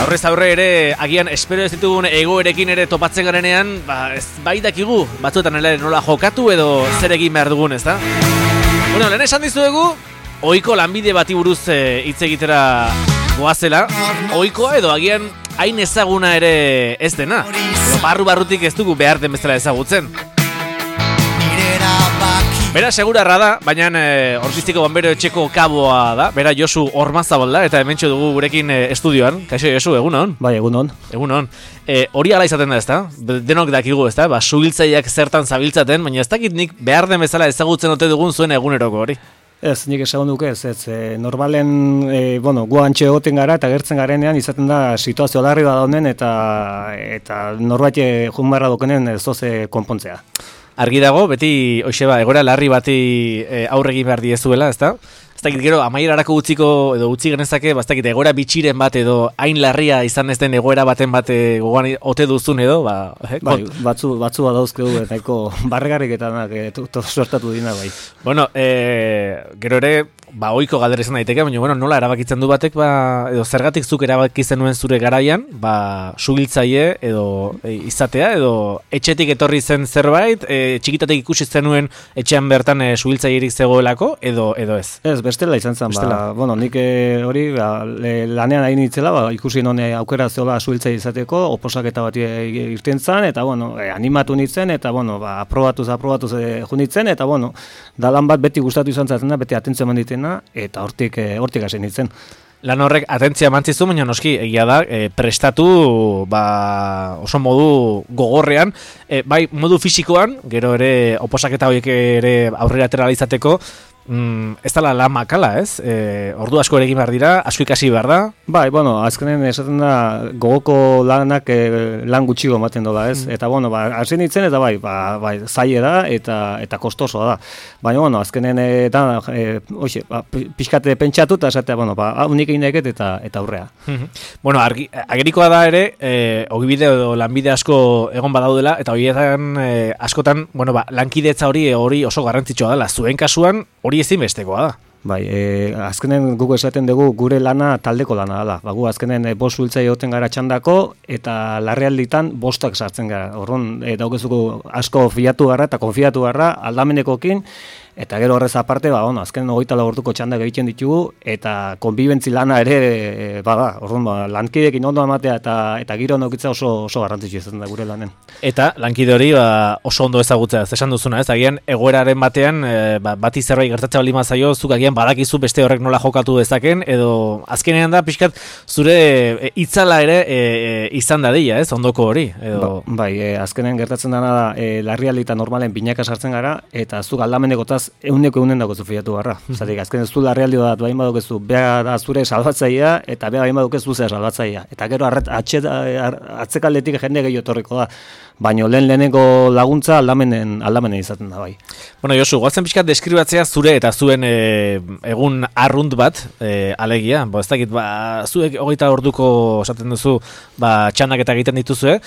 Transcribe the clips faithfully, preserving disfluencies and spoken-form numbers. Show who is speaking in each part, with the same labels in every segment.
Speaker 1: Aurrez aurre ere, agian espero ez ditugun egoerekin ere topatzen garenean, ba, ez bai dakigu, batzuetan ere nola jokatu edo zer egin behar dugun, ez da? Bueno, lehen esan dizuegu, ohiko lanbide bati buruz hitz e, egitera goazela, ohikoa edo agian hain ezaguna ere ez dena, edo barru-barrutik ez dugu behar den bezala ezagutzen. Bera segurarra da, baina e, Orpiztiko Bonbero etxeko kaboa da, bera Josu Ormazabal da, eta hementxo dugu gurekin e, estudioan. Kaixo Josu, egunon?
Speaker 2: Bai, egunon.
Speaker 1: Egunon. E, hori ala izaten da, ezta? Denok dakigu, ezta? Ba, suhiltzaileak zertan zabiltzaten, baina ez dakit nik behar den bezala ezagutzen ote dugun zuen eguneroko hori.
Speaker 2: Ez, nik esagun duke ez, ez, e, normalen, e, bueno, gu antxe egoten gara eta gertzen garenean izaten da situazio larri bat honen eta, eta norbait jun barra dokenen ez doze konpontzea.
Speaker 1: Argi dago, beti, hoxeba, egora larri bati e, aurre egin behar diezuela, ezta? Ez dakit gero, amaierarako utziko, edo utzi genezake, ba, ez dakit, egora bitxiren bat edo hain larria izan ez den egoera baten bat gogoan ote duzun edo, ba... Eh,
Speaker 2: bai, batzu, batzu bat dauzkegu, nahiko barregarriketanak e, sortatu dina, bai.
Speaker 1: Bueno, e, gero ere, ba, ohiko galdera izan daiteke, baina, bueno, nola erabakitzen du batek, ba, edo zergatik zuk erabakitzen nuen zure garaian, ba, suhiltzaile edo e, izatea, edo etxetik etorri zen zerbait, e, txikitatek ikusi zenuen etxean bertan e, suhiltzailerik zegoelako, edo, edo ez?
Speaker 2: Ez, bestela izan zen, bestela. Ba, bueno, nik hori ba, lanean ari nitzela, ba, ikusi non aukera zeola suhiltzaile izateko, oposaketa bat irten zen, eta, bueno, e, animatu nintzen, eta, bueno, ba, aprobatuz, aprobatuz e, junitzen, eta, bueno, da lan bat beti gustatu izan zaten da, beti atentzio eman ditena, eta hortik, e, hortik hasi nintzen.
Speaker 1: Lan horrek atentzia mantzizu, baina noski, egia da, e, prestatu ba, oso modu gogorrean, e, bai modu fisikoan, gero ere oposaketa horiek ere aurrera atera izateko, Mm, ez dala lan makala, ez? E, ordu asko ere egin behar dira, asko ikasi behar da?
Speaker 2: Bai, bueno, azkenen esaten da gogoko lanak e, lan gutxigo ematen dola, ez? Mm. Eta, bueno, ba, hasi nintzen, eta bai, ba, bai, zaile da, eta eta kostosoa da. Baina, bueno, azkenen e, da, e, oixe, ba, pixkate pentsatu, eta esatea, bueno, ba, unik egin deket, eta, eta aurrea.
Speaker 1: Mm-hmm. Bueno, argi, agerikoa da ere, e, ogibide edo lanbide asko egon badaudela, eta horietan e, askotan, bueno, ba, lankidetza hori hori oso garrantzitsua dela. Zuen kasuan, hori ezinbestekoa da.
Speaker 2: Bai, e, azkenen guk esaten dugu gure lana taldeko lana dela. Ba, gu azkenen e, bost suhiltzaile egoten gara txandako eta larrialditan bostak sartzen gara. Orrun e, daukezuko asko fiatu gara eta konfiatu gara aldamenekokin. Eta gero horrez aparte, ba, ono, azken hogeita lau orduko txandak egiten ditugu, eta konbibentzi lana ere, e, bada, orduan, ba, lankideekin ondo amatea eta eta giro nokitza oso oso garrantzitsua izan da gure lanen.
Speaker 1: Eta lankide hori ba, oso ondo ezagutzea, esan duzuna, ez? Agian egoeraren batean, e, ba, bati zerbait gertatzen bali mazaio, zuk agian badakizu beste horrek nola jokatu dezaken, edo azkenean da, pixkat, zure e, itzala ere e, e, izan dadila, ez? Ondoko hori. Edo...
Speaker 2: Ba, bai, e, azkenean gertatzen dana da, e, larrialdi normalen binaka sartzen gara, eta zuk aldamenekotaz euneko eunen dago zufiatu barra. Zatik, azken ez du larrialdi bat bain badukezu, beha da zure salbatzaia, eta beha bain badukezu zure salbatzaia. Eta gero arret, atxe, atzekaldetik jende gehiago etorriko da. Baina lehen leheneko laguntza aldamenen, aldamenen izaten da bai.
Speaker 1: Bueno, Josu, goazen pixkat deskribatzea zure eta zuen e, egun arrunt bat, e, alegia. Bo, ez dakit, ba, zuek hogeita orduko esaten duzu, ba, txanak eta egiten dituzue,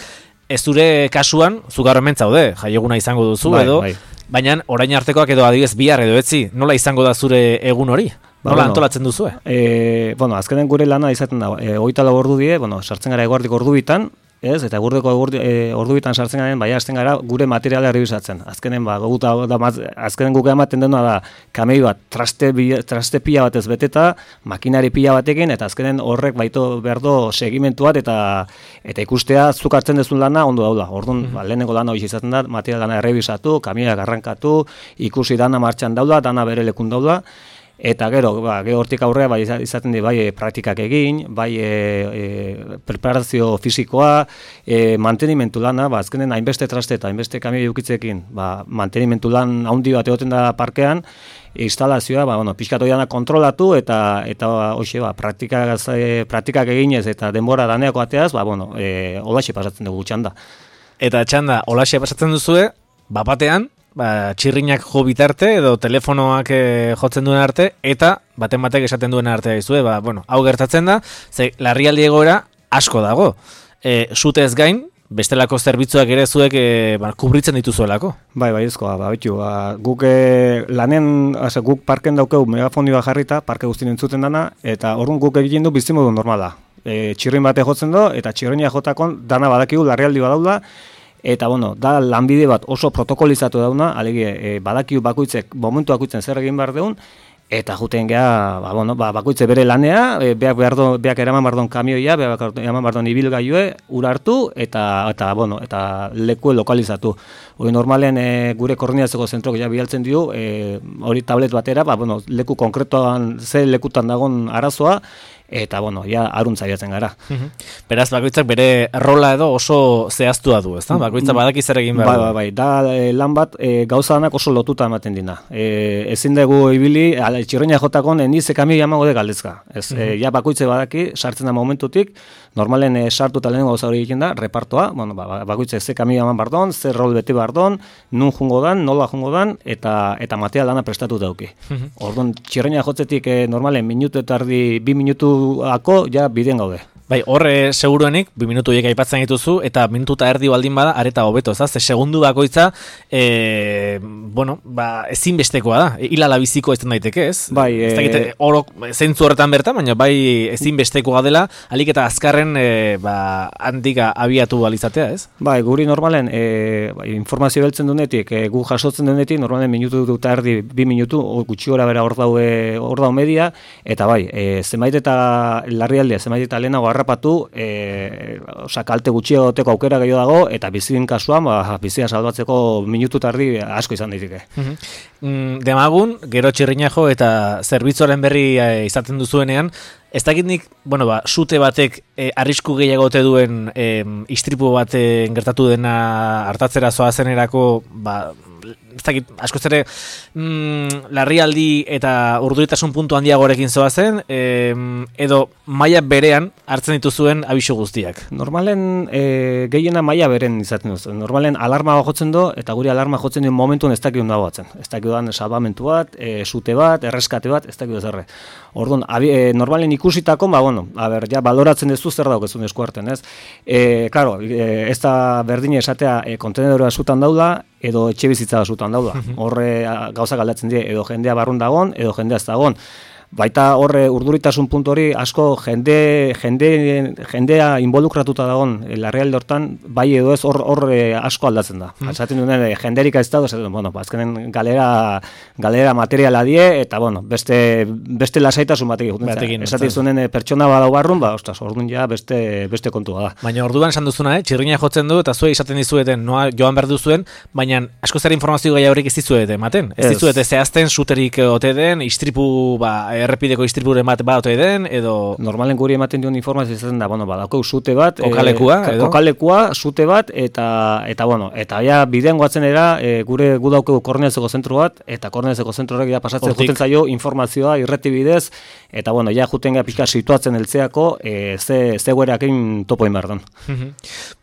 Speaker 1: ez zure kasuan, zu gaur hemen zaude, jaieguna izango duzu, bai, edo, bai. Baina orain artekoak edo adibidez bihar edo etzi, nola izango da zure egun hori? Nola ba, bueno, antolatzen duzue?
Speaker 2: E, bueno, azkenen gure lana izaten da, e, hogeita lau ordu die, bueno, sartzen gara eguerdik ordu bitan, ez? Eta gurdeko ordu, e, ordu bitan sartzen garen, bai hasten gara gure materiala errebisatzen. Azkenen ba, guta, da, azkenen guk ematen dena da kamei bat traste, traste pila batez beteta, makinari pila batekin, eta azkenen horrek baito behar do segimentu bat, eta eta ikustea zuk hartzen dezun lana ondo daula. Orduan, mm-hmm. ba, lehenengo lana hori izaten da, material lana errebisatu, kamioak arrankatu, ikusi dana martxan daula, dana bere lekun daula. Eta gero, ba, gero hortik aurrea bai, izaten di, bai e, praktikak egin, bai e, e, preparazio fisikoa, e, mantenimentu lana, ba, azkenen hainbeste traste eta hainbeste kamioi ukitzekin, ba, mantenimentu lan handi bat egoten da parkean, instalazioa, ba, bueno, pixkatu dana kontrolatu eta eta hoxe, ba, praktikak, e, praktikak eginez eta denbora daneako ateaz, ba, bueno, e, olaxe pasatzen dugu txanda.
Speaker 1: Eta txanda, olaxe pasatzen duzue, bapatean, ba, txirrinak jo bitarte edo telefonoak e, jotzen duen arte eta baten batek esaten duen artea izue, ba, bueno, hau gertatzen da, ze larrialdi egoera asko dago. E, zute ez gain, bestelako zerbitzuak ere zuek e, ba, kubritzen dituzuelako.
Speaker 2: Bai, bai, ezkoa, ba, bitu, ba, guk e, lanen, ase, guk parken daukeu megafonioa jarrita, parke guztien entzuten dana, eta orduan guk egiten du bizimodu normala. e, txirrin bate jotzen do, eta txirrina jotakon dana badakigu larrialdi badaula, eta bueno, da lanbide bat oso protokolizatu dauna, alegia e, badakigu bakoitzek, momentu bakoitzen zer egin behar deun, eta juten geha, ba, bueno, ba, bakoitze bere lanea, e, beak, behar do, beak eraman bardon kamioia, beak eraman bardon ibilgailue, ura hartu, eta, eta, bueno, eta lekue lokalizatu. Hori normalen e, gure koordinatzeko zentrok ja bialtzen dio, e, hori tablet batera, ba, bueno, leku konkretoan, ze lekutan dagon arazoa, eta, bueno, ja, aruntza biatzen gara.
Speaker 1: Uhum. Beraz, bakoitzak bere rola edo oso zehaztua du, ezta? Bakoitzak badaki zer egin behar.
Speaker 2: Bai, bai, bai, da e, lan bat e, gauza danak oso lotuta ematen dina. E, ezin dugu ibili, ala, txirreina jotakon, eni ze kamio jamango de galdezka. Ez, uhum. e, ja bakoitze badaki, sartzen da momentutik, normalen e, sartu eta lehenengo gauza hori egiten da, repartoa, bueno, ba, bakoitze ze kamio jaman bardon, ze rol beti bardon, nun jungo dan, nola jungo dan, eta, eta material dana prestatu dauki. Uhum. Orduan, txirreina jotzetik e, normalen minutu eta ardi, bi minutu ako ja bideen gaude.
Speaker 1: Bai, horre seguruenik, bi minutu hiek aipatzen dituzu, eta minutu eta erdi baldin bada, areta hobeto, ez da? Ze segundu bakoitza, e, bueno, ba, ezinbestekoa da, hilala biziko ez daiteke, ez?
Speaker 2: Bai,
Speaker 1: ez dakite, orok, zentzu horretan bertan, baina bai ezinbestekoa dela, alik eta azkarren, e, ba, handika abiatu balizatea, ez?
Speaker 2: Bai, guri normalen, e, bai, informazio beltzen dunetik, e, gu jasotzen dunetik, normalen minutu eta erdi, bi minutu, gutxi gora bera hor daue, hor dau media, eta bai, e, zenbait eta larrialdea, zenbait eta lehenago harrapatu, e, osa, kalte gutxi egoteko aukera gehiago dago, eta bizien kasuan, ba, bizia salbatzeko minutu tardi asko izan daiteke.
Speaker 1: Mm, demagun, gero txirrina jo eta zerbitzuaren berri e, izaten duzuenean, ez dakit nik, bueno, ba, sute batek e, arrisku gehiago ote duen e, istripu baten gertatu dena hartatzera zoazenerako, ba, ez dakit, askoz ere mm, larrialdi eta urduritasun puntu handiagorekin zoazen, e, edo maila berean hartzen dituzuen abisu guztiak.
Speaker 2: Normalen e, gehiena maila beren izaten duzu. Normalen alarma jotzen do, eta guri alarma jotzen duen momentuen ez dakit dago batzen. Ez dakit dan salbamentu bat, e, sute bat, erreskate bat, ez dakit zerre. Orduan, e, normalen ikusitako, ba, bueno, a ber, ja, baloratzen duzu zer daukezun eskuarten, ez? E, claro, e, ez da berdine esatea e, kontenedora zutan daula, edo etxe bizitza zutan daula. Horre gauzak aldatzen die, edo jendea barrun dagon, edo jendea ez dagon. Baita horre urduritasun puntu hori asko jende, jende, jendea involukratuta dagoen larrialde hortan, bai edo ez hor, hor asko aldatzen da. Mm. Esaten duen jenderika ez dago, bueno, azkenen galera, galera materiala die, eta bueno, beste, beste lasaitasun batek egiten. Esaten zunen pertsona badau barrun, ba, ostras, orduan ja beste, beste kontua da.
Speaker 1: Baina orduan esan duzuna, eh? Txirrina jotzen du, eta zuei esaten dizueten, noa joan behar duzuen, baina asko zer informazio gai haurik ez dizuete ematen. Ez dizuete zehazten suterik ote den, istripu, ba, errepideko istripuren bat bat ote den, edo...
Speaker 2: Normalen guri ematen duen informazio izaten da, bueno, badako sute bat...
Speaker 1: Kokalekua,
Speaker 2: e,
Speaker 1: edo?
Speaker 2: Kokalekua, sute bat, eta, eta bueno, eta ja, bidean goatzen era, e, gure gu daukegu koordinatzeko zentru bat, eta koordinatzeko zentru horrek ja pasatzen juten zaio informazioa irreti bidez, eta bueno, ja juten gara pixka situatzen eltzeako, e, ze, ze guereakin topo inbardon.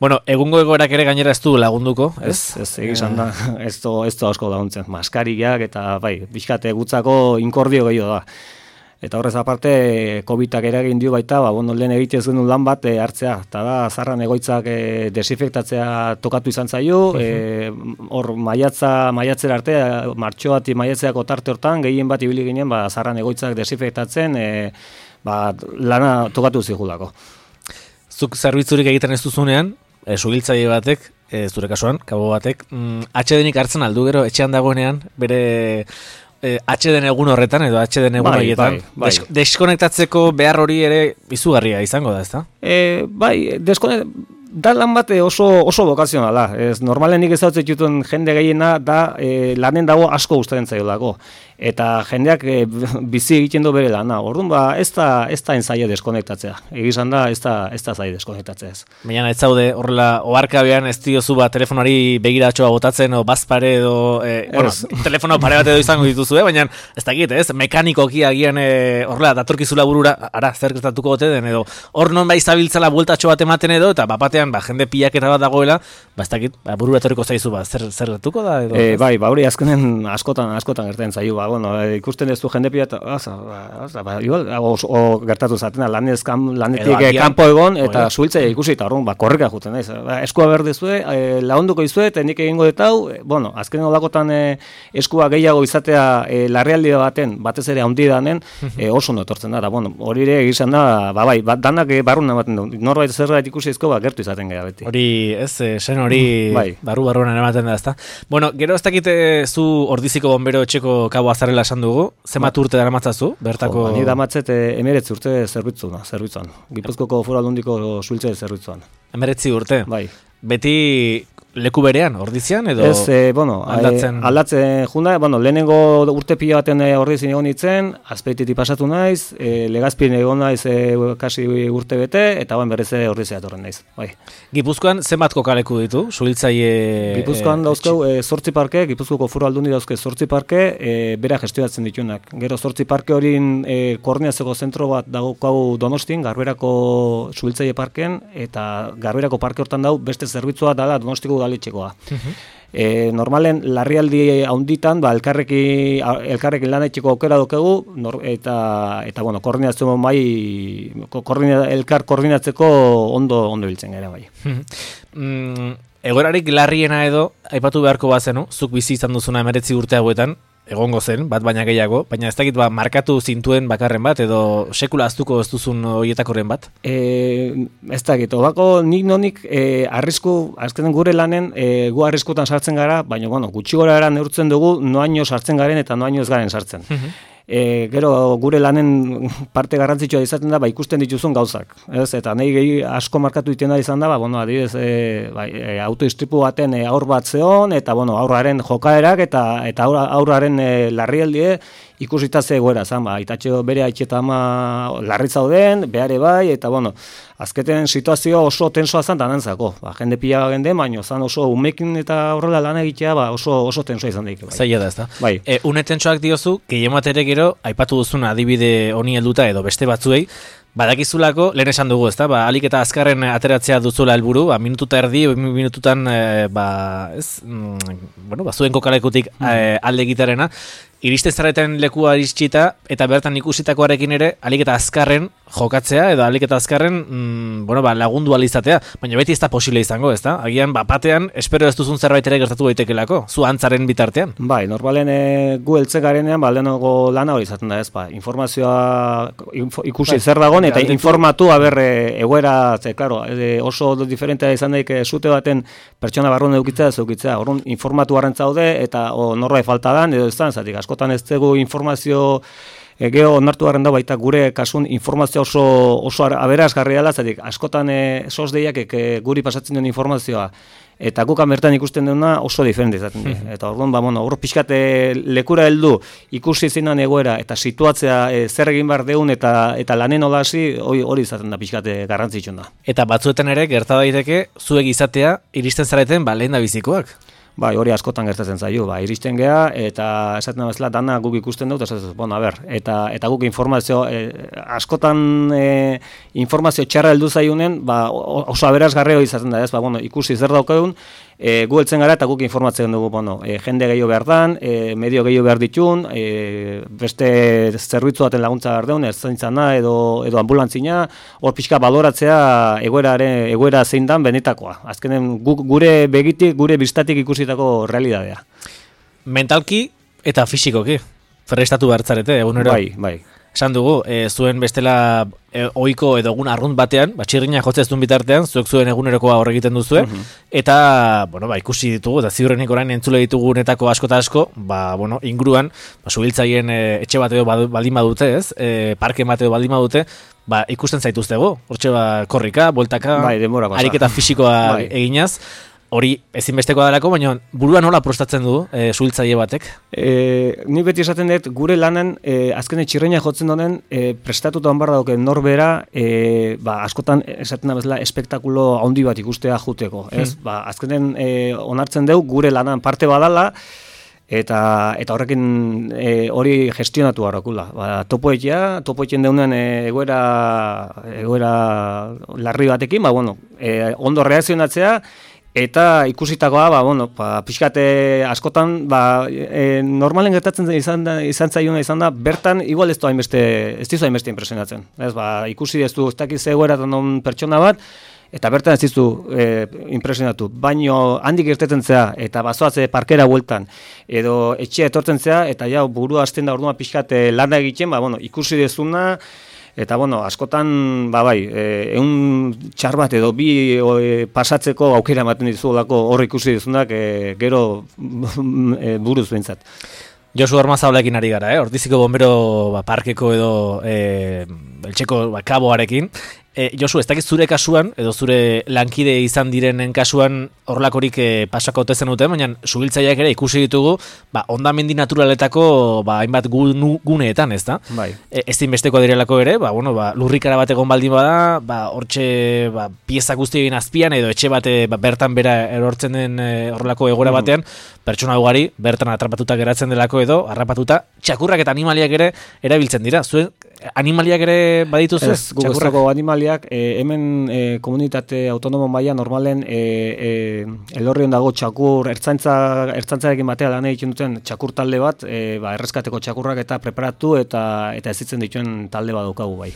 Speaker 1: Bueno, egungo egoerak ere gainera ez du lagunduko, ez?
Speaker 2: Ez, ez egizan da, ez to, ez to asko laguntzen, maskariak, eta bai, pixkate gutzako inkordio gehiago da. Eta horrez aparte, covidak eragin dio baita, ba, bueno, lehen egitez genuen lan bat e, hartzea. Eta da, zarran egoitzak e, desinfektatzea tokatu izan zaio, hor e, maiatza, maiatzera arte, martxoat maiatzeako tarte hortan, gehien bat ibili ginen, ba, zarran egoitzak desinfektatzen, e, ba, lana tokatu zigulako.
Speaker 1: Zuk zerbitzurik egiten ez duzunean, e, sugiltzaile batek, e, zure kasuan, kabo batek, mm, H D Nik hartzen aldu gero, etxean dagoenean, bere... H D egun horretan edo H D egun horietan, bai, bai. Des, deskonektatzeko behar hori ere izugarria izango da, ezta?
Speaker 2: E, bai, deskonek... Da lan bat oso, oso bokazionala. Ez, normalen nik ezautzen dituen jende gehiena da e, lanen dago asko gustatzen zaiolako. Eta jendeak e, bizi egiten du bere lana. Orduan ba, ez da, ez da enzaia deskonektatzea. Egizan da, ez da, ez da zai deskonektatzea ez.
Speaker 1: Baina ez zaude, horrela, oharkabean ez diozu ba, telefonari begiratxoa botatzen, o bazpare edo, e, bueno, telefono pare bat edo izango dituzu, eh? Baina ez dakit, ez, mekanikoki agian e, horrela, datorkizula burura, ara, zer gertatuko gote den, edo hor non bai zabiltzala bueltatxo bat ematen edo, eta bapatean batean, ba, jende pilaketa bat dagoela, ba, ez dakit, ba, burura etorriko zaizu, ba, zer, zer gertuko da? Edo,
Speaker 2: e, bai, ba, hori azkenen askotan, askotan gertatzen zaiu, ba, bueno, e, ikusten ez du jende pilata, oza, oza, ba, igual, o, o gertatu zatena, lanez, kam, lanetik kanpo egon, eta zuhiltzea ikusi, eta orduan, ba, korrika juten, ez, ba, eskua berdezue, e, launduko izue, eta nik egingo detau, e, bueno, azkenen olakotan e, eskua gehiago izatea e, larrialdi baten, batez ere handi danen, e, oso notortzen da, da, bueno, hori ere egizan da, ba, bai, ba, danak e, barrun ematen du, norbait zerbait ikusi izko, ba, gertu izaten gara beti.
Speaker 1: Hori, ez, sen hori bai. Barru-barruan ematen da, ezta? Bueno, gero ez dakite zu ordiziko bombero etxeko kabo azarela esan dugu, zenbat urte dara matzazu, bertako...
Speaker 2: Jo, ba, ni damatzet emeretzi urte zerbitzuan, zerbitzuan. Gipuzkoko Foru Aldundiko suhiltze zerbitzuan.
Speaker 1: Emeretzi urte?
Speaker 2: Bai.
Speaker 1: Beti leku berean, ordizian, edo
Speaker 2: ez, e, bueno, aldatzen? E, aldatzen junda, bueno, lehenengo urte pila baten ordizien egon itzen, azpeititik pasatu naiz, e, legazpien egon naiz e, kasi urte bete, eta bain berriz ordizia etorren naiz. Bai.
Speaker 1: Gipuzkoan zenbat kokaleku ditu, suhiltzaile...
Speaker 2: Gipuzkoan e, dauzkau e, zortzi parke, Gipuzkoko Foru Aldundi dauzke zortzi parke, e, bera gestionatzen ditunak. Gero zortzi parke horin e, koordinatzeko zentro bat daukau Donostin, Garberako suhiltzaile parken, eta Garberako parke hortan dau beste zerbitzua dala Donostiko udaletxekoa. Uh-huh. E, normalen larrialdi haunditan, ba, elkarreki, elkarrekin lan etxeko aukera dokegu, nor, eta, eta bueno, koordinazio mai, koordina, elkar koordinatzeko ondo, ondo biltzen gara bai.
Speaker 1: mm, Egoerarik larriena edo, aipatu beharko bazenu, zuk bizi izan duzuna emeretzi urte hauetan, egongo zen, bat baina gehiago, baina ez dakit ba, markatu zintuen bakarren bat, edo sekula aztuko ez duzun horietakoren bat?
Speaker 2: E, ez dakit, odako nik nonik e, arrisku, azkenen gure lanen, e, gu arriskutan sartzen gara, baina bueno, gutxi gora era neurtzen dugu, noaino sartzen garen eta noaino ez garen sartzen. Uh-huh. E, gero gure lanen parte garrantzitsua izaten da, ba, ikusten dituzun gauzak. Ez? Eta nahi gehi asko markatu iten da izan da, ba, bueno, adibidez, e, ba, e, autoistripu baten e, aur bat zeon, eta bueno, aurraren jokaerak, eta, eta aurra, aurraren e, larrialdie, ikusita zegoera, zan, ba, itatxo bere haitxeta ama larri zauden, behare bai, eta bueno, azketen situazio oso tensoa zan danantzako. Ba, jende pila gende, baino, zan oso umekin eta horrela lan egitea, ba, oso, oso tensoa izan daik. Bai.
Speaker 1: Zaila da, ez da.
Speaker 2: Bai.
Speaker 1: E, une tensoak diozu, gehiematere gero, aipatu duzuna adibide honi helduta edo beste batzuei, badakizulako, lehen esan dugu, ezta? Ba, alik eta azkarren ateratzea duzula helburu, ba, minututa erdi, minututan, e, ba, ez, mm, bueno, ba, zuen kokalekutik e, alde gitarena, iristen zareten lekua iristita, eta bertan ikusitakoarekin ere, alik eta azkarren jokatzea, edo alik eta azkarren, mm, bueno, ba, lagundu alizatea, baina beti ez da posible izango, ezta? Agian, ba, batean, espero ez duzun zerbait ere gertatu daitekelako, zu antzaren bitartean.
Speaker 2: Bai, normalen e, gu heltze garenean, ba, lehenago lana hori izaten da, ez, ba, informazioa info, ikusi bai, zer dagoen, eta informatu, haber, e, egoera, ze, klaro, e, oso diferentea izan daik, zute baten pertsona barrun edukitzea, ez edukitzea, orrun informatu garrantza daude, eta o, norbait falta dan, edo ez da, zatik, askotan ez dugu informazio e, geho onartu garen da baita gure kasun informazio oso, oso aberazgarria dela, zatik, askotan e, sos deiak e, guri pasatzen duen informazioa, eta gukan bertan ikusten dena oso diferente izaten dira. Eta orduan, ba, bueno, hor pixkate lekura heldu ikusi zinan egoera eta situatzea e, zer egin behar deun eta eta lanen olasi hori izaten da pixkate garrantzitsuna da.
Speaker 1: Eta batzuetan ere gerta daiteke zuek izatea iristen zareten ba lehen da bizikoak.
Speaker 2: Bai, hori askotan gertatzen zaio, ba, iristen gea eta esaten bezala dana guk ikusten dut, esaten dut, bueno, a ber, eta eta guk informazio e, askotan e, informazio txarra heldu zaiunen, ba, oso aberasgarria izaten da, ez? Ba, bueno, ikusi zer daukagun, e, gu heltzen gara eta guk informatzen dugu, bueno, e, jende gehiago behar dan, e, medio gehiago behar ditun, e, beste zerbitzu baten laguntza behar deun, ertzaintzana edo edo anbulantzina, hor pixka baloratzea egoeraren egoera zein dan benetakoa. Azkenen guk gure begitik, gure bistatik ikusi realidadea.
Speaker 1: Mentalki eta fisikoki prestatu bertzarete egunero.
Speaker 2: Bai, bai.
Speaker 1: Esan dugu, e, zuen bestela e, ohiko edo egun arrunt batean, ba txirrina jotzez duen bitartean, zuek zuen egunerokoa hor egiten duzue, uh-huh. eta, bueno, ba, ikusi ditugu, eta ziurrenik orain entzule ditugu netako asko eta asko, ba, bueno, inguruan, ba, subiltzaien e, etxe bat edo baldin badute, ez, e, parke bat edo baldin badute, ba, ikusten zaituztego, hortxe ba, korrika, bueltaka,
Speaker 2: bai,
Speaker 1: ariketa fisikoa bai. Eginaz, hori ezinbestekoa delako, baina burua nola prostatzen du e, suhiltzaile batek?
Speaker 2: E, ni beti esaten dut, gure lanan, e, azkene txirreina jotzen donen, e, prestatuta honbar dauke norbera, e, ba, askotan esaten da bezala espektakulo handi bat ikustea juteko. Ez? Hmm. Ba, azkenen e, onartzen dugu, gure lanan parte badala, eta eta horrekin e, hori gestionatu harrakula. Ba, topoetia, topoetien deunen e, egoera egoera larri batekin, ba bueno, e, ondo reakzionatzea eta ikusitakoa, ba bueno, ba pixkate askotan ba e, normalen gertatzen izan da izan zaiona izan da bertan igual ez du hainbeste ez dizu hainbeste impresionatzen. Ez ba ikusi ez du ez dakiz egoeratan on pertsona bat eta bertan ez dizu e, impresionatu, baino handik irteten zea, eta bazoatze parkera bueltan, edo etxea etortzen zea, eta ja burua hasten da orduan pixkat lana egiten, ba, bueno, ikusi dezuna, eta bueno, askotan, ba bai, ehun txar bat edo bi e, pasatzeko aukera ematen dizuolako hor ikusi dezunak, e, gero e, buruz behintzat.
Speaker 1: Josu Ormazabalekin ari gara, eh? Ortiziko bombero ba, parkeko edo e, eltseko ba, kaboarekin. E, Josu, ez dakiz zure kasuan, edo zure lankide izan direnen kasuan horrelakorik e, pasako otezen duten, baina subiltzaileak ere ikusi ditugu, ba, ondamendi naturaletako ba, hainbat gu, guneetan, ez da?
Speaker 2: Bai.
Speaker 1: E, ez dinbesteko direlako ere, ba, bueno, ba, lurrikara bat egon baldin bada, ba, hortxe ba, pieza guztien azpian, edo etxe bate ba, bertan bera erortzen den e, horrelako egoera batean, pertsona ugari bertan atrapatuta geratzen delako edo, harrapatuta, txakurrak eta animaliak ere erabiltzen dira. Zuen animaliak ere badituzu?
Speaker 2: Ez, guguztako animaliak, e, hemen e, komunitate autonomo maila normalen e, e, elorrion dago txakur, ertzaintza, ertzaintzarekin batea lan egiten duten txakur talde bat, e, ba, erreskateko txakurrak eta preparatu eta eta ezitzen dituen talde bat daukagu bai.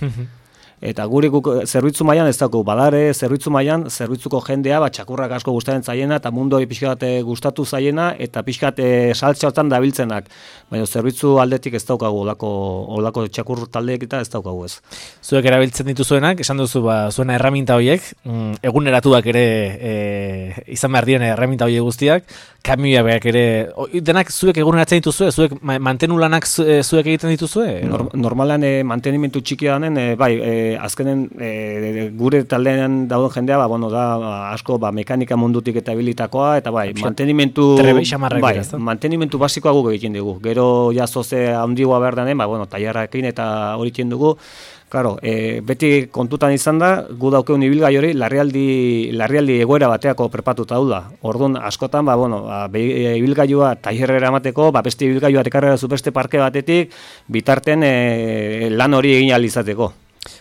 Speaker 2: Eta guri guk zerbitzu mailan ez dago, badare zerbitzu mailan zerbitzuko jendea ba txakurrak asko gustatzen zaiena eta mundu hori pixkat gustatu zaiena eta pixkat saltza hortan dabiltzenak. Baina zerbitzu aldetik ez daukagu olako olako txakur taldeek eta ez daukagu ez.
Speaker 1: Zuek erabiltzen dituzuenak, esan duzu ba zuena erreminta horiek, mm, eguneratuak ere e, izan behar diren erreminta horiek guztiak, kamioiak ere denak zuek eguneratzen dituzue, zuek mantenu lanak zuek egiten dituzue?
Speaker 2: Nor, normalan e, mantenimentu txikia danen e, bai, e, azkenen e, gure taldean dauden jendea ba, bueno, da ba, asko ba, mekanika mundutik eta habilitakoa eta bai, mantenimentu bai, mantenimentu basikoa guk egiten dugu. Gero ja zoze handigoa behar danen, ba, bueno, tailerrarekin eta hori egiten dugu. Claro, e, beti kontutan izan da, gu daukeun ibilgai hori larrialdi, larrialdi egoera bateako prepatuta da. Orduan, askotan, ba, bueno, ba, ibilgailua tailerrera emateko, ba, beste ibilgailua ekarrera zu beste parke batetik, bitarten e, lan hori egin ahal izateko.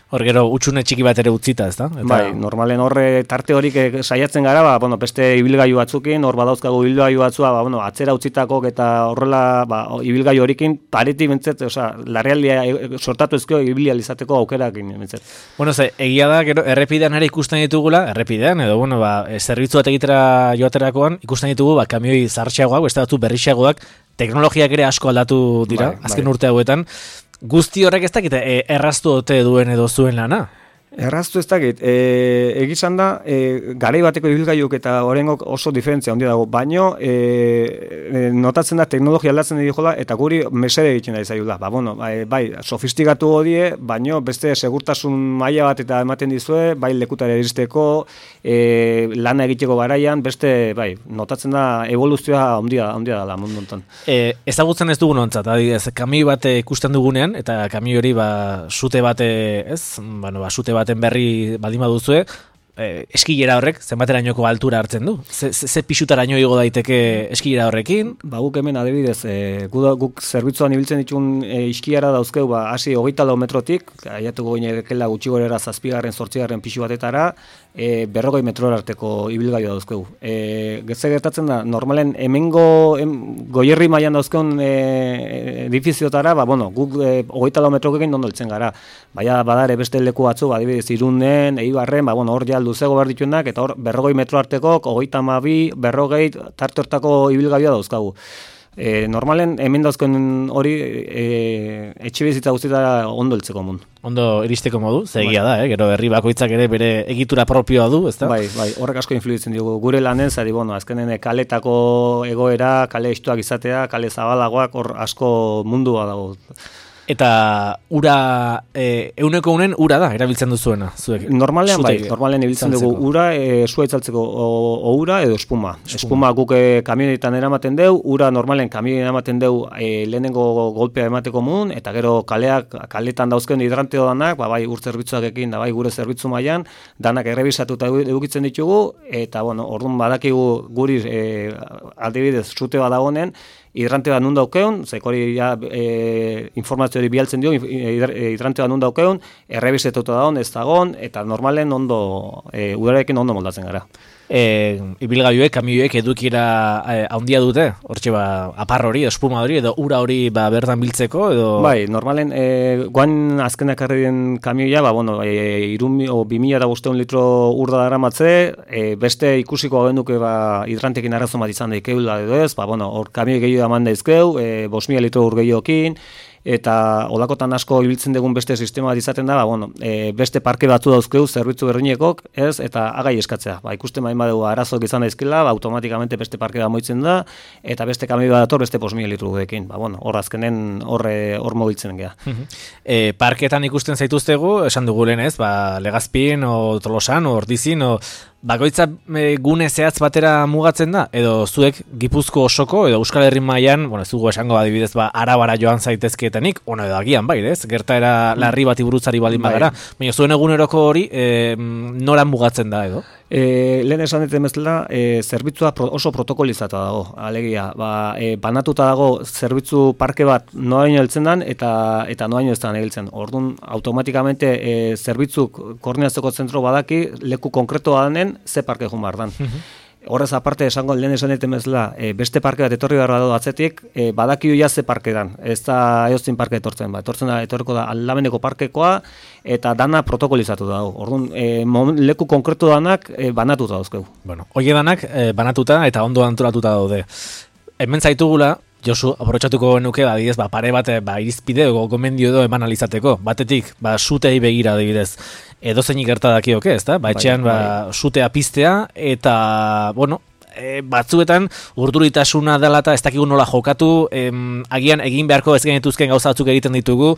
Speaker 1: Hor gero utxune txiki bat ere utzita, ez da? Eta...
Speaker 2: Bai, normalen horre tarte horik saiatzen gara, ba, bueno, beste ibilgailu batzukin, hor badauzkagu ibilgailu batzua, ba, bueno, atzera utzitakok eta horrela ba, ibilgailu horikin pareti bentzet, osea, larrealdia sortatu ezkeo ibilia izateko aukerakin bentzet.
Speaker 1: Bueno, ze, egia da, gero, errepidean ere ikusten ditugula, errepidean, edo, bueno, ba, zerbitzu bat egitera joaterakoan, ikusten ditugu, ba, kamioi zartxeagoak, beste batzu berrixeagoak, teknologiak ere asko aldatu dira, bai, azken bai. Urte hauetan. Guzti horrek ez dakit, e, erraztu ote duen edo zuen lana?
Speaker 2: Erraztu ez dakit, e, egizan da, e, garai bateko ibilgailuk eta horrengok oso diferentzia handia dago, baino e, e, notatzen da teknologia aldatzen dira eta guri mesede egiten da izaiula. Ba, bueno, bai, bai, sofistikatu hodie, baino beste segurtasun maila bat eta ematen dizue, bai lekutara iristeko, e, lana egiteko garaian, beste, bai, notatzen da evoluzioa handia handia dela mundu honetan.
Speaker 1: E, ezagutzen ez dugun ontzat, adibidez, kamioi bat ikusten dugunean, eta kamioi hori ba, sute bate, ez, bueno, ba, sute baten berri baldin baduzue, eh, eskilera horrek zenbaterainoko altura hartzen du? Ze, ze, ze pixutaraino igo daiteke eskilera horrekin?
Speaker 2: Ba, guk hemen adibidez, e, guk, guk zerbitzuan ibiltzen ditun e, iskilera dauzkeu, ba, hasi hogeita lau metrotik, aiatuko ginerekela gutxi gorera zazpigarren, zortzigarren pixu batetara, e, berrogei metrora arteko ibilgailua dauzkeu. E, Getze gertatzen da, normalen hemengo em, goierri mailan dauzkeun e, edifiziotara, ba, bueno, guk e, hogeita lau metrokekin ondo heltzen gara. Baina badare beste leku batzu, adibidez, Irunen, Eibarren, ba, bueno, hor ja luzego behar dituenak, eta hor berrogei metro arteko, hogeita hamabi, berrogei, tarte hortako ibilgailua dauzkagu. E, normalen, hemen dauzken hori e, etxe bizitza guztietara ondo heltzeko mun.
Speaker 1: Ondo iristeko modu, zegia da, eh? Gero herri bakoitzak ere bere egitura propioa du, ezta?
Speaker 2: Bai, bai, horrek asko influitzen dugu. Gure lanen, zari, bueno, azkenen kaletako egoera, kale estuak izatea, kale zabalagoak, hor asko mundua dago.
Speaker 1: Eta ura, e, euneko unen ura da, erabiltzen duzuena, zuek?
Speaker 2: Normalean bai, normalean ibiltzen dugu ura, e, sua itzaltzeko o, o ura edo espuma. Espuma, espuma guk e, kamionetan eramaten deu, ura normalen kamionetan eramaten deu e, lehenengo golpea emateko mun, eta gero kaleak, kaletan dauzken hidranteo danak, ba, bai ur zerbitzuak ekin, da bai gure zerbitzu mailan, danak errebisatuta edukitzen ditugu, eta bueno, orduan badakigu guri e, aldibidez sute badagonen, hidrante bat nun daukeun, zekori ja, e, informazio hori bialtzen dio, hidrante bat nun daukeun, errebisetuta daun, ez dagoen, eta normalen ondo, e, udarekin ondo moldatzen gara.
Speaker 1: E, ibilgailuek, kamioiek edukiera e, handia dute, hortxe ba, apar hori, espuma hori, edo ura hori ba, bertan biltzeko, edo...
Speaker 2: Bai, normalen, e, guan azkenak arri den kamioia, ba, bueno, e, irun, o, bi mila eta bosteun litro urda dara matze, e, beste ikusiko agenduke ba, hidrantekin arazo bat izan daikeula edo ez, ba, bueno, hor kamioi gehiago eman daizkeu, e, bost mila litro ur gehiokin, eta olakotan asko ibiltzen dugun beste sistema bat izaten da, ba, bueno, e, beste parke batzu dauzkeu zerbitzu berdinekok, ez, eta agai eskatzea. Ba, ikusten bain badugu arazok izan daizkela, ba, automatikamente beste parke bat moitzen da, eta beste kamioi bat dator beste bost mila litro dekin. Ba, bueno, hor azkenen hor hor mobiltzen gea.
Speaker 1: e, parketan ikusten zaituztegu, esan dugu lehen ez, ba, Legazpin, o Tolosan, o Ordizin, o bakoitza e, gune zehatz batera mugatzen da, edo zuek Gipuzko osoko, edo Euskal Herri mailan, bueno, ez dugu esango adibidez, ba, Arabara joan zaitezkeetanik, ono edo agian bai, ez? Gertaera larri bati burutzari baldin bagara, baina zuen eguneroko hori e, nora mugatzen da, edo?
Speaker 2: E, lehen esan dut emezela, e, zerbitzua pro, oso protokolizata dago, alegia, ba, e, banatuta dago zerbitzu parke bat noaino heltzen dan, eta eta noaino ez da heltzen. Orduan, automatikamente e, zerbitzuk koordinatzeko zentro badaki, leku konkreto danen, ze parke joan behar dan. Horrez aparte esango lehen esan dut emezela, e, beste parke bat etorri behar badu atzetik, e, badakio ja ze parke dan, ez da eoztin parke etortzen, ba, etortzen da, etorriko da aldameneko parkekoa, eta dana protokolizatu dago. Orduan, e, leku konkretu danak e, banatuta dauzkeu.
Speaker 1: Bueno, hoie danak e, banatuta eta ondo antolatuta daude. Hemen zaitugula, Josu, aprobetxatuko genuke, adibidez, ba, pare bat, ba, irizpide edo gomendio edo eman alizateko. Batetik, ba, sutei begira adibidez, edo zeinik gerta dakioke, ez da? Ba, etxean, ba, sutea piztea, eta, bueno, e, batzuetan, urduritasuna dela eta ez dakigu nola jokatu, em, agian egin beharko ez genetuzken gauza batzuk egiten ditugu,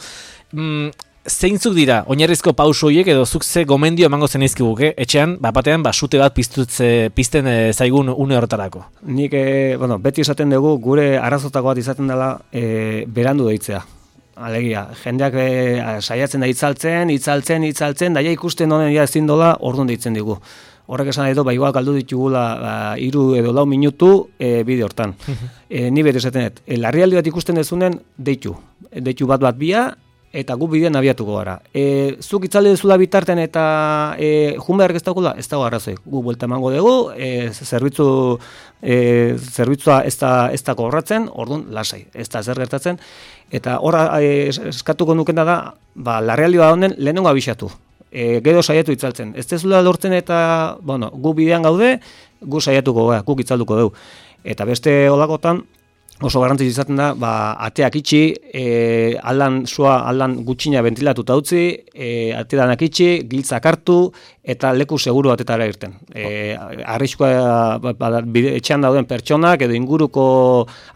Speaker 1: mm, zeintzuk dira, oinarrizko pauso horiek edo zuk ze gomendio emango zenizkiguke, etxean, bat batean, ba, sute bat piztutze, pizten e, zaigun une horretarako?
Speaker 2: Nik, e, bueno, beti esaten dugu, gure arazotako bat izaten dela e, berandu deitzea. Alegia, jendeak e, saiatzen da itzaltzen, itzaltzen, itzaltzen, daia ikusten honen ja ezin dola, orduan deitzen digu. Horrek esan edo, ba, igual galdu ditugula ba, iru edo lau minutu e, bide hortan. e, ni beti esaten dut, e, larrialdi bat ikusten dezunen, deitu. Deitu bat bat bia, eta gu bidean abiatuko gara. E, zuk itzaldi dezula bitarten eta e, junbeark ez daukula, ez dago arrazoi. Gu buelta emango dugu, e, zerbitzu, e, zerbitzua ez da, ez da kobratzen, orduan lasai, ez da zer gertatzen. Eta horra e, eskatuko nukena da, ba, larrealdi bat honen lehenengo abixatu. E, gero saiatu itzaltzen. Ez dezula lortzen eta, bueno, gu bidean gaude, gu saiatuko gara, guk itzalduko dugu. Eta beste olakotan, oso garrantzitsu izaten da, ba, ateak itxi, e, aldan sua, aldan gutxina ventilatuta utzi, e, atedanak itxi, giltzak hartu, eta leku seguru batetara irten. E, arriskua, ba, ba, etxean dauden pertsonak, edo inguruko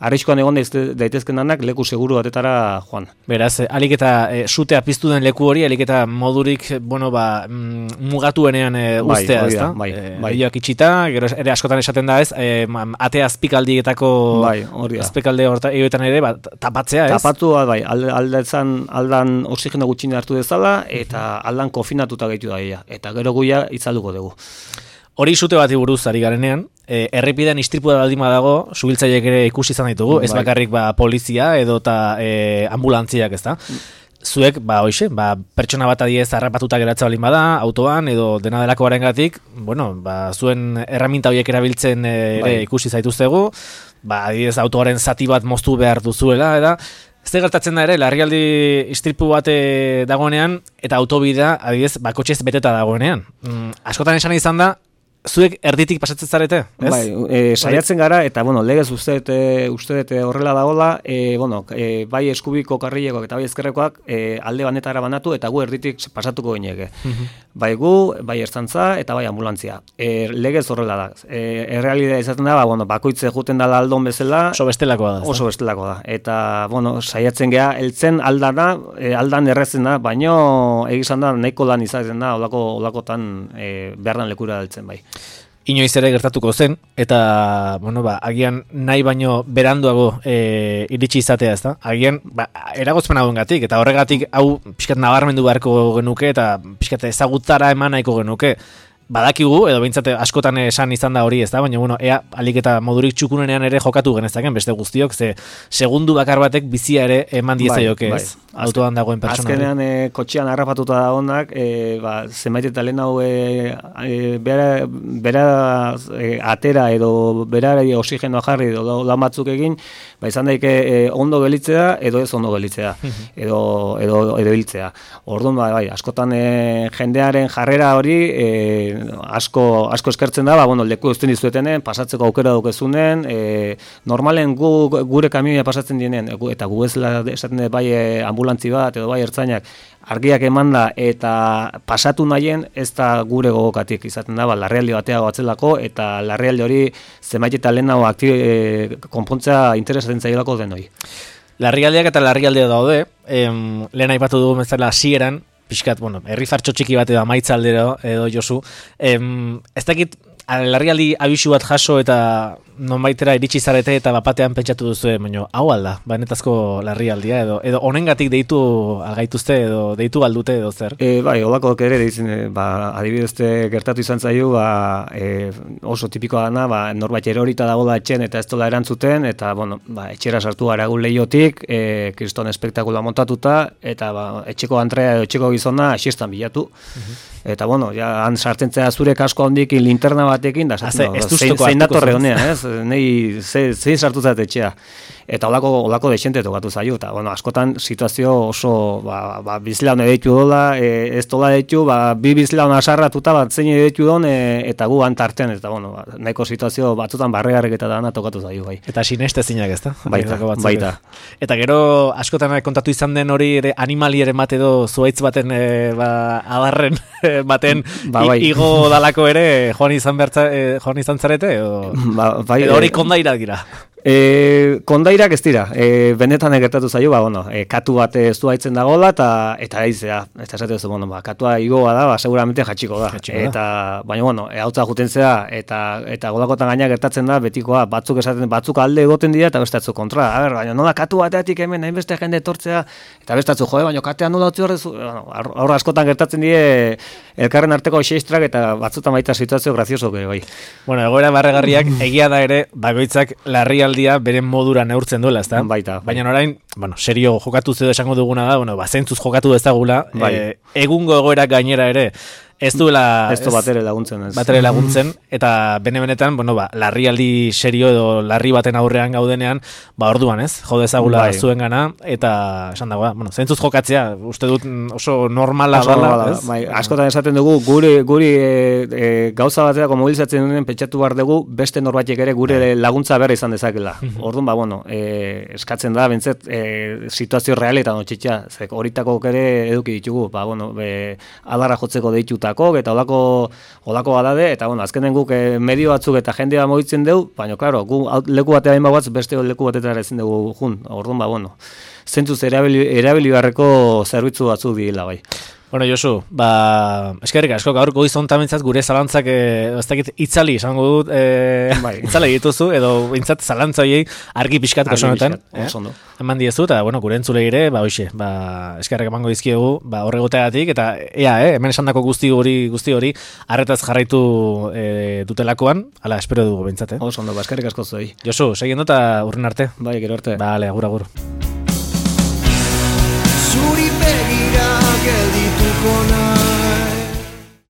Speaker 2: arriskoan egon daitezken danak, leku seguru batetara joan.
Speaker 1: Beraz, alik eta e, sutea piztu den leku hori, alik eta modurik, bueno, ba, mm, mugatuenean e, ustea,
Speaker 2: bai,
Speaker 1: ez da?
Speaker 2: Bai,
Speaker 1: e,
Speaker 2: bai.
Speaker 1: Elioak itxita, gero ere askotan esaten da ez, e, ate azpikaldietako
Speaker 2: bai, hori da.
Speaker 1: azpikalde horta, egoetan ere, ba, tapatzea, ez?
Speaker 2: Tapatu, bai, aldan, aldan oxigeno gutxina hartu dezala, eta aldan kofinatuta gehitu da ia. Eta gero guia itzalduko dugu.
Speaker 1: Hori sute bati buruz ari garenean, e, errepidean istripua baldin badago, subiltzaileek ere ikusi izan ditugu, ez
Speaker 2: bai.
Speaker 1: bakarrik ba, polizia edo eta e, ambulantziak, ez da? Zuek, ba, hoxe, ba, pertsona bat adiez harrapatuta geratza balin bada, autoan, edo dena delako garengatik, bueno, ba, zuen erraminta horiek erabiltzen e, ere ikusi zaituztegu, ba, adiez autoaren zati bat moztu behar duzuela, eta ez gertatzen da ere, larrialdi istripu bat dagoenean, eta autobidea, adiez, bakotxez beteta dagoenean. Mm, askotan esan izan da, zuek erditik pasatzen zarete, ez?
Speaker 2: Bai, e, saiatzen gara, eta, bueno, legez uste dut horrela dagoela, e, bueno, e, bai eskubiko karrilekoak eta bai ezkerrekoak e, alde banetara banatu, eta gu erditik pasatuko gineke. Uh-huh. Bai gu, bai ertzantza, eta bai ambulantzia. E, legez horrela da. E, errealidea izaten da, ba, bueno, bakoitze juten dala aldon bezala.
Speaker 1: Oso bestelakoa da.
Speaker 2: Oso bestelakoa da. Eta, bueno, saiatzen geha, heltzen aldana, e, aldan errezen da, baino egizan da, nahiko lan izaten da, olako, olakotan e, behar dan lekura heltzen bai.
Speaker 1: Inoiz ere gertatuko zen, eta, bueno, ba, agian nahi baino beranduago e, iritsi izatea, ez da? Agian, ba, eragozpen hauen gatik, eta horregatik hau pixkat nabarmendu beharko genuke, eta pixkat ezagutzara eman nahiko genuke. badakigu, edo behintzat askotan esan izan da hori, ez da, baina, bueno, ea, alik eta modurik txukunenean ere jokatu genezaken, beste guztiok, ze segundu bakar batek bizia ere eman diezaioke,
Speaker 2: bai,
Speaker 1: ez,
Speaker 2: bai.
Speaker 1: autoan dagoen pertsona.
Speaker 2: Azkenean, e, kotxean harrapatuta da honak, e, ba, zenbait eta lehen hau e, e, bera, bera e, atera edo bera oxigenoa jarri edo lan batzuk egin, ba, izan daike e, ondo gelitzea edo ez ondo gelitzea, edo, edo, edo hiltzea. Orduan, ba, bai, askotan e, jendearen jarrera hori e, asko, asko eskertzen da, ba, bueno, leku eusten dizuetenen, pasatzeko aukera daukezunen, e, normalen gu, gure kamioia pasatzen dienen, eta gu ez esaten dut bai ambulantzi bat edo bai ertzainak, argiak emanda eta pasatu nahien ez da gure gogokatik izaten da, ba, larrialdi batea batzelako, eta larrialdi hori zenbait eta lehenago e, konpontzea interesatzen zailako denoi.
Speaker 1: Larrialdiak eta larrialdia daude, em, lehen aipatu dugu bezala hasieran, pixkat, bueno, herri fartxo txiki bat edo amaitza aldero edo Josu, em, ez dakit larrialdi abisu bat jaso eta nonbaitera iritsi zarete eta bapatean pentsatu duzu, baina hau alda, benetazko larrialdia edo edo honengatik deitu algaituzte edo deitu aldute edo zer?
Speaker 2: E, bai, holako ere deitzen, ba, adibidezte gertatu izan zaio, ba, e, oso tipikoa dana, ba, norbait erorita dagoela etxen eta ez dola erantzuten, eta, bueno, ba, etxera sartu gara gu lehiotik, e, kriston espektakula montatuta, eta, ba, etxeko antrea edo etxeko gizona asistan bilatu. Uh-huh. Eta, bueno, ja, han sartzen zera zure kasko handik linterna batekin, da,
Speaker 1: Haze,
Speaker 2: no, zein, zein datorre honean, ez? Nei, ze, zein sartu zait etxea. Eta holako holako dexente tokatu zaio, eta, bueno, askotan situazio oso, ba, ba bizlaun edeitu dola, e, ez dola edeitu, ba, bi bizlaun asarratuta, bat zein edeitu don, e, eta gu antartean, eta, bueno, ba, nahiko situazio batzutan barregarrek eta dana tokatu zaio, bai.
Speaker 1: Eta sineste zinak, ez da?
Speaker 2: Baita, baita.
Speaker 1: Eta gero, askotan kontatu izan den hori ere animalieren bat edo zuaitz baten, e, ba, adarren baten
Speaker 2: ba, bai.
Speaker 1: igo dalako ere, joan izan, bertza, e, joan izan zarete, edo,
Speaker 2: ba, bai,
Speaker 1: edo hori kondaira dira?
Speaker 2: E, kondairak ez dira, e, benetan egertatu zaio, ba, bueno, e, katu bat ez duaitzen dagoela, eta eta eizea, eta esate duzu, bueno, ba, katua igoa da, ba, seguramente jatxiko da. Jatxiko eta, da. Baina, bueno, e, hautza juten zea, eta, eta golakotan gaina gertatzen da, betikoa, batzuk esaten, batzuk alde egoten dira, eta bestatzu kontra. A ber, baina, nola katu bateatik hemen, hainbeste jende etortzea, eta bestatzu, joe, baina katean nola utzi horrezu, bueno, aurra askotan gertatzen die, elkarren arteko xeistrak, eta batzutan baita situazio grazioso, bai.
Speaker 1: Bueno, egoera barregarriak, egia da ere, bakoitzak larrialdi beren modura neurtzen duela, ezta?
Speaker 2: Baita.
Speaker 1: Baina orain, bueno, serio jokatu edo esango duguna da, bueno, ba, zentzuz jokatu ezagula, bai. e, egungo egoerak gainera ere, ez duela...
Speaker 2: Ez du batere laguntzen. Ez.
Speaker 1: Batere laguntzen, eta bene-benetan, bueno, ba, larrialdi serio edo larri baten aurrean gaudenean, ba, orduan, ez? Jode ezagula bai. Zuen gana, eta esan dagoa, bueno, zentzuz jokatzea, uste dut oso normala
Speaker 2: oso
Speaker 1: dala,
Speaker 2: normala,
Speaker 1: ez?
Speaker 2: Bai, askotan esaten dugu, guri, guri e, e, gauza bateako mobilizatzen duen pentsatu behar dugu, beste norbaitek ere gure bai. Laguntza behar izan dezakela. Orduan, ba, bueno, e, eskatzen da, bentzet, e, situazio realetan otxitxa, zek horitako ere eduki ditugu, ba, bueno, e, adarra jotzeko deituta eta olako olako badade, eta bueno, azkenen guk eh, medio batzuk eta jendea mogitzen dugu, baina, klaro, gu leku batea hain bat, beste leku batetara ezin dugu jun, orduan, ba, bueno, zentzuz erabili, erabili beharreko zerbitzu batzuk dira, bai.
Speaker 1: Bueno, Josu, ba, eskerrik asko, gaur goizon tamentzat gure zalantzak, eh, ez dakit, itzali, esango dut, eh, bai. Itzali dituzu, edo bintzat zalantza horiei argi pixkat kasonetan. Eh? Eman diezu, eta, bueno, gure entzule ere, ba, hoxe, ba, eskerrik emango dizkiegu, ba, horregoteagatik, eta, ea, eh, hemen esandako guzti hori, guzti hori, arretaz jarraitu eh, dutelakoan, ala, espero dugu bintzat, eh?
Speaker 2: Oso ondo, ba, eskerrik asko zuei.
Speaker 1: Josu, segiendo eta urren arte.
Speaker 2: Bai, gero arte.
Speaker 1: Bale, agur, agur.
Speaker 3: Zuri